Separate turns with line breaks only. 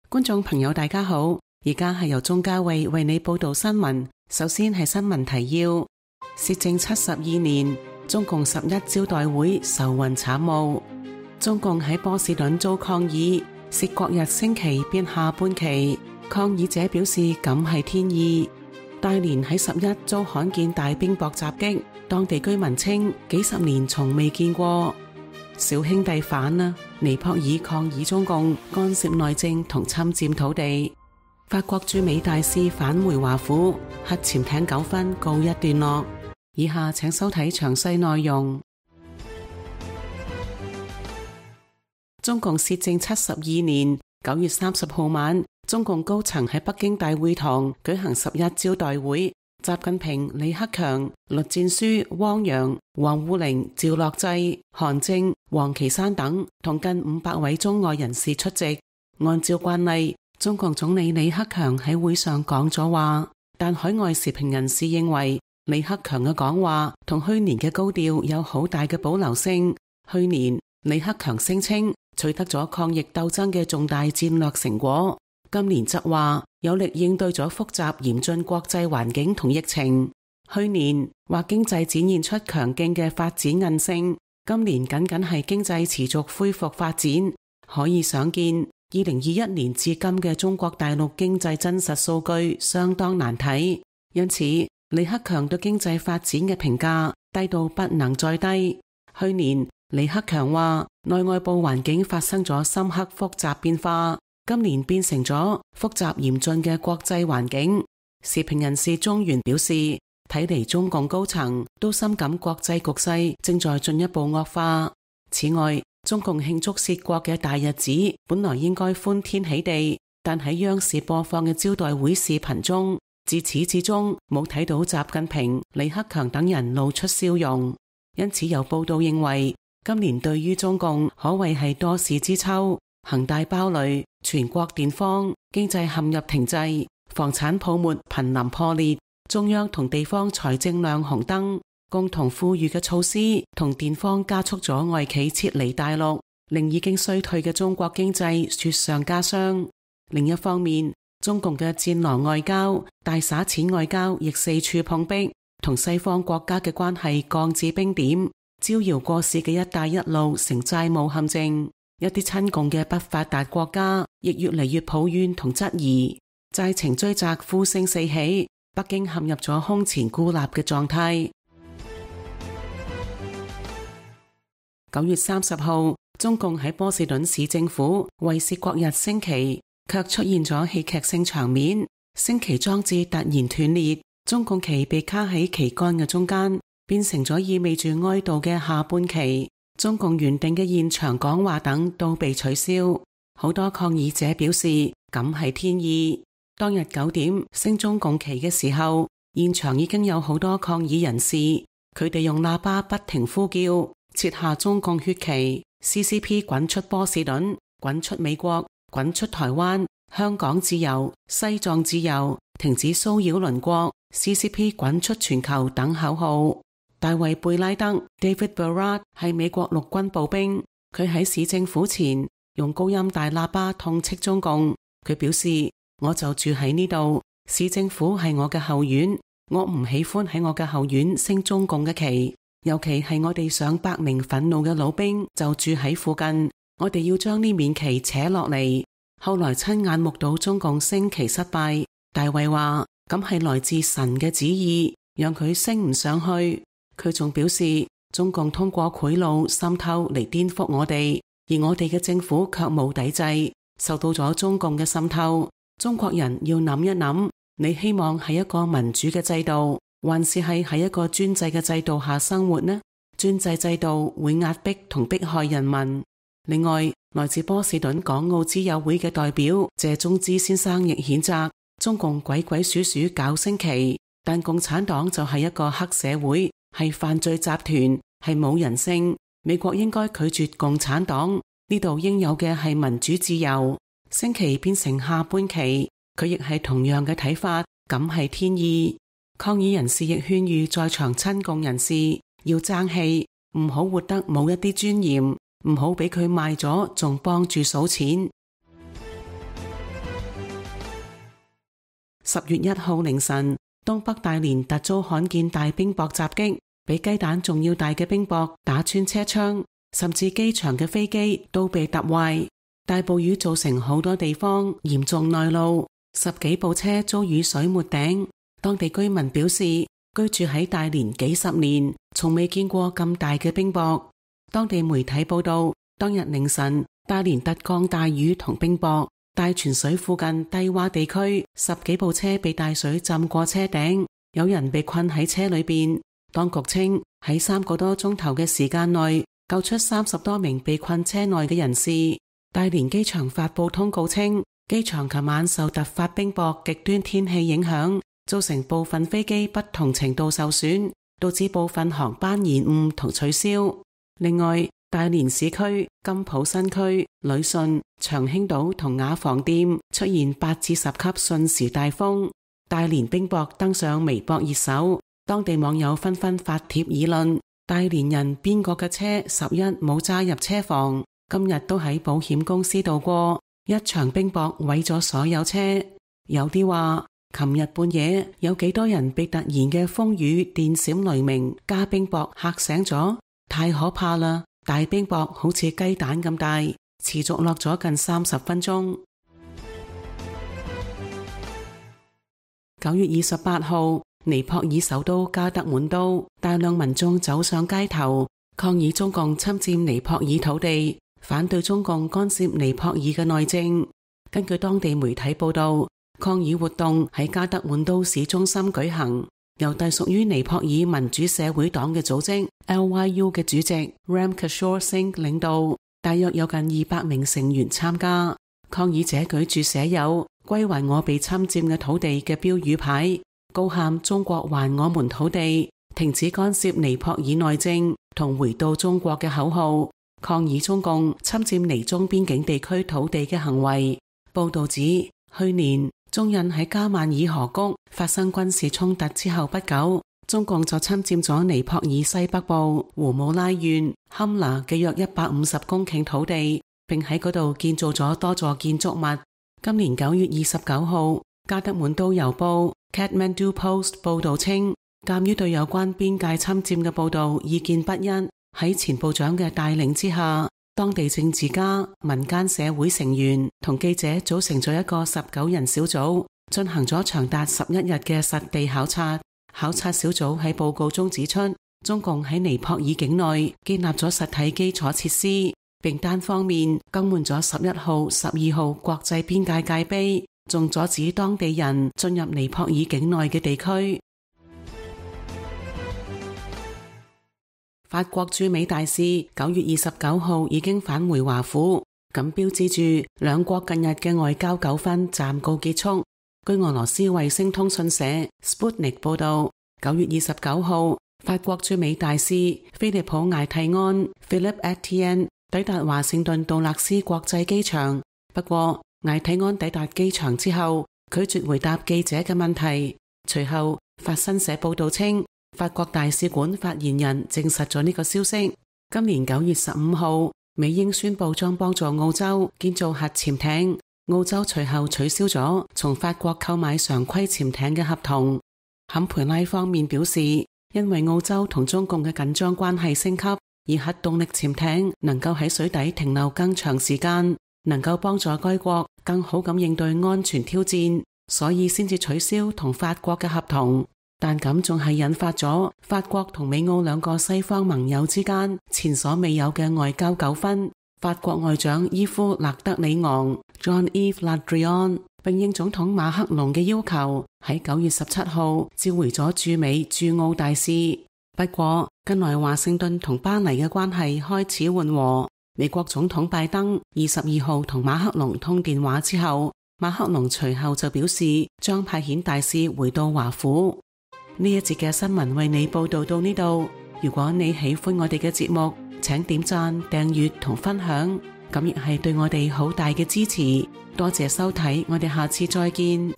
觀眾朋友大家好，而家係由鍾嘉慧為你報道新聞。首先係新聞提要：攝政72年，中共11招待會愁雲慘霧。中共喺波士頓遭抗議，攝國日升旗變下半旗。抗議者表示咁係天意。大連喺11遭罕見大冰雹襲擊，當地居民稱幾十年從未見過。小兄弟反啦！尼泊爾抗議中共干涉內政同侵佔土地。法國駐美大使返回華府，核潛艇糾紛告一段落。以下請收睇詳細內容。中共攝政72年9月30號晚，中共高層喺北京大會堂舉行11招待會。習近平、李克強、栗戰書、汪洋、王滬寧、趙樂際、韓正、王岐山等同近500位中外人士出席。按照慣例，中共總理李克強喺會上講咗話，但海外時評人士認為李克強嘅講話同去年嘅高調有好大嘅保留性。去年李克強聲稱取得咗抗疫鬥爭嘅重大戰略成果，今年則話有力應對咗複雜嚴峻國際環境同疫情。去年話經濟展現出強勁嘅發展韌性，今年僅僅係經濟持續恢復發展。可以想見2021年至今嘅中國大陸經濟真實數據相當難睇，因此李克強對經濟發展嘅評價低到不能再低。去年李克強話內外部環境發生咗深刻複雜變化，今年變成咗複雜嚴峻嘅國際環境。時評人士中原表示，睇嚟中共高層都深感國際局勢正在進一步惡化。此外，中共慶祝攝國嘅大日子本來應該歡天喜地，但喺央視播放嘅招待會視頻中，自始至終冇睇到習近平、李克強等人露出笑容。因此有報道認為，今年對於中共可謂係多事之秋，恒大爆雷、全國電荒、經濟陷入停滯、房產泡沫瀕臨破裂，中央同地方財政亮紅燈，共同富裕嘅措施同電荒加速咗外企撤離大陸，令已經衰退嘅中國經濟雪上加霜。另一方面，中共嘅戰狼外交、大灑錢外交亦四處碰壁，同西方國家嘅關係降至冰點，招搖過市嘅一帶一路成債務陷阱。一啲親共嘅不發達國家亦越嚟越抱怨同質疑，債情追責呼聲四起，北京陷入咗空前孤立嘅狀態。9月30號，中共喺波士頓市政府為攝國日升旗，卻出現咗戲劇性場面，升旗裝置突然斷裂，中共旗被卡喺旗桿嘅中間，變成咗意味住哀悼嘅下半旗。中共原定嘅現場講話等都被取消，好多抗議者表示咁係天意。當日9點升中共旗嘅時候，現場已經有好多抗議人士，佢哋用喇叭不停呼叫，撤下中共血旗 ，CCP 滾出波士頓，滾出美國，滾出台灣，香港自由，西藏自由，停止騷擾鄰國， CCP 滾出全球等口號。大衛貝拉德 David Berard 係美國陸軍步兵，佢喺市政府前用高音大喇叭痛斥中共。佢表示，我就住喺呢度，市政府係我嘅後院，我唔喜歡喺我嘅後院升中共嘅旗，尤其係我哋上百名憤怒嘅老兵就住喺附近，我哋要將呢面旗扯落嚟。後來親眼目睹中共升旗失敗，大衛話咁係來自神嘅旨意，讓佢升唔上去。佢仲表示，中共通過賄賂滲透嚟顛覆我哋，而我哋嘅政府卻冇抵制，受到咗中共嘅滲透。中國人要諗一諗，你希望係一個民主嘅制度，還是係喺一個專制嘅制度下生活呢？專制制度會壓迫同迫害人民。另外，來自波士頓港澳之友會嘅代表謝忠之先生亦譴責中共鬼鬼祟祟搞升旗，但共產黨就係一個黑社會，係犯罪集團，係冇人性。美國應該拒絕共產黨，呢度應有嘅係民主自由。升旗變成下半旗，佢亦係同樣嘅睇法，咁係天意。抗議人士亦勸喻在場親共人士要爭氣，唔好活得冇一啲尊嚴，唔好俾佢賣咗，仲幫住數錢。10月1號凌晨，東北大連突遭罕見大冰雹襲擊，比雞蛋仲要大嘅冰雹打穿車窗，甚至機場嘅飛機都被揼壞。大暴雨造成好多地方嚴重內澇，10幾部車遭雨水沒頂。當地居民表示，居住喺大連幾十年，從未見過咁大嘅冰雹。當地媒體報道，當日凌晨，大連突降大雨同冰雹，大泉水附近低洼地區10幾部車被大水浸過車頂，有人被困喺車裏邊。當局稱喺3個多鐘頭嘅時間內救出30多名被困車內嘅人士。大連機場發布通告稱，機場琴晚受突發冰雹極端天氣影響，造成部分飛機不同程度受損，導致部分航班延誤同取消。另外，大連市區、金浦新區、旅順、長興島同雅房店出現8至10級瞬時大風。大連冰雹登上微博熱搜，當地網友紛紛發帖議論：大連人邊個嘅車11冇揸入車房？今日都喺保險公司度過，一場冰雹毀咗所有車。有啲話，琴日半夜有幾多人被突然嘅風雨、電閃雷鳴加冰雹嚇醒咗？太可怕啦！大冰雹好似雞蛋咁大，持續落咗近30分鐘。9月28號，尼泊爾首都加德滿都，大量民眾走上街頭，抗議中共侵佔尼泊爾土地，反對中共干涉尼泊爾嘅內政。根據當地媒體報道，抗議活動喺加德滿都市中心舉行，由隸屬於尼泊爾民主社會黨嘅組織 LYU 嘅主席 Ram Kishore Singh 領導，大約有近200名成員參加。抗議者舉住寫有歸還我被侵佔嘅土地嘅標語牌，高喊中國還我們土地，停止干涉尼泊爾內政同回到中國嘅口號，抗議中共侵佔尼中邊境地區土地嘅行為。報道指，去年中印喺加萬爾河谷發生軍事衝突之後不久，中共就侵佔咗尼泊爾西北部胡姆拉縣堪拿嘅約150公頃土地，並喺嗰度建造咗多座建築物。今年9月29號，加德滿都郵報 Kathmandu Post 報道稱，鑒於對有關邊界侵佔嘅報道意見不一，喺前部長嘅帶領之下，當地政治家、民間社會成員同記者組成咗一個19人小組，進行咗長達11日嘅實地考察。考察小組喺報告中指出，中共喺尼泊爾境內建立咗實體基礎設施，並單方面更換咗11號、12號國際邊界界碑，仲阻止當地人進入尼泊爾境內嘅地區。法國駐美大使9月29號已經返回華府，咁標誌住兩國近日嘅外交糾紛暫告結束。據俄羅斯衛星通訊社 Sputnik 報道，9月29號，法國駐美大使菲利普艾蒂安 Philippe Etienne 抵達華盛頓杜勒斯國際機場。不過，艾蒂安抵達機場之後，拒絕回答記者嘅問題。隨後，法新社報道稱，法國大使館發言人證實咗呢個消息。今年9月15號，美英宣布將幫助澳洲建造核潛艇。澳洲隨後取消咗從法國購買常規潛艇嘅合同。坎培拉方面表示，因為澳洲同中共嘅緊張關係升級，而核動力潛艇能夠喺水底停留更長時間，能夠幫助該國更好咁應對安全挑戰，所以先至取消同法國嘅合同。但咁仲係引發咗法國同美澳兩個西方盟友之間前所未有嘅外交糾紛。法國外長伊夫勒德里昂 Jean-Yves Le Drian 並應總統馬克龍嘅要求，喺9月17號召回咗駐美駐澳大使。不過近來華盛頓同巴黎嘅關係開始緩和。美國總統拜登22號同馬克龍通電話之後，馬克龍隨後就表示將派遣大使回到華府。呢一節嘅新聞為你報道到呢度。如果你喜歡我哋嘅節目，請點讚、訂閱同分享，咁亦係對我哋好大嘅支持。多謝收睇，我哋下次再見。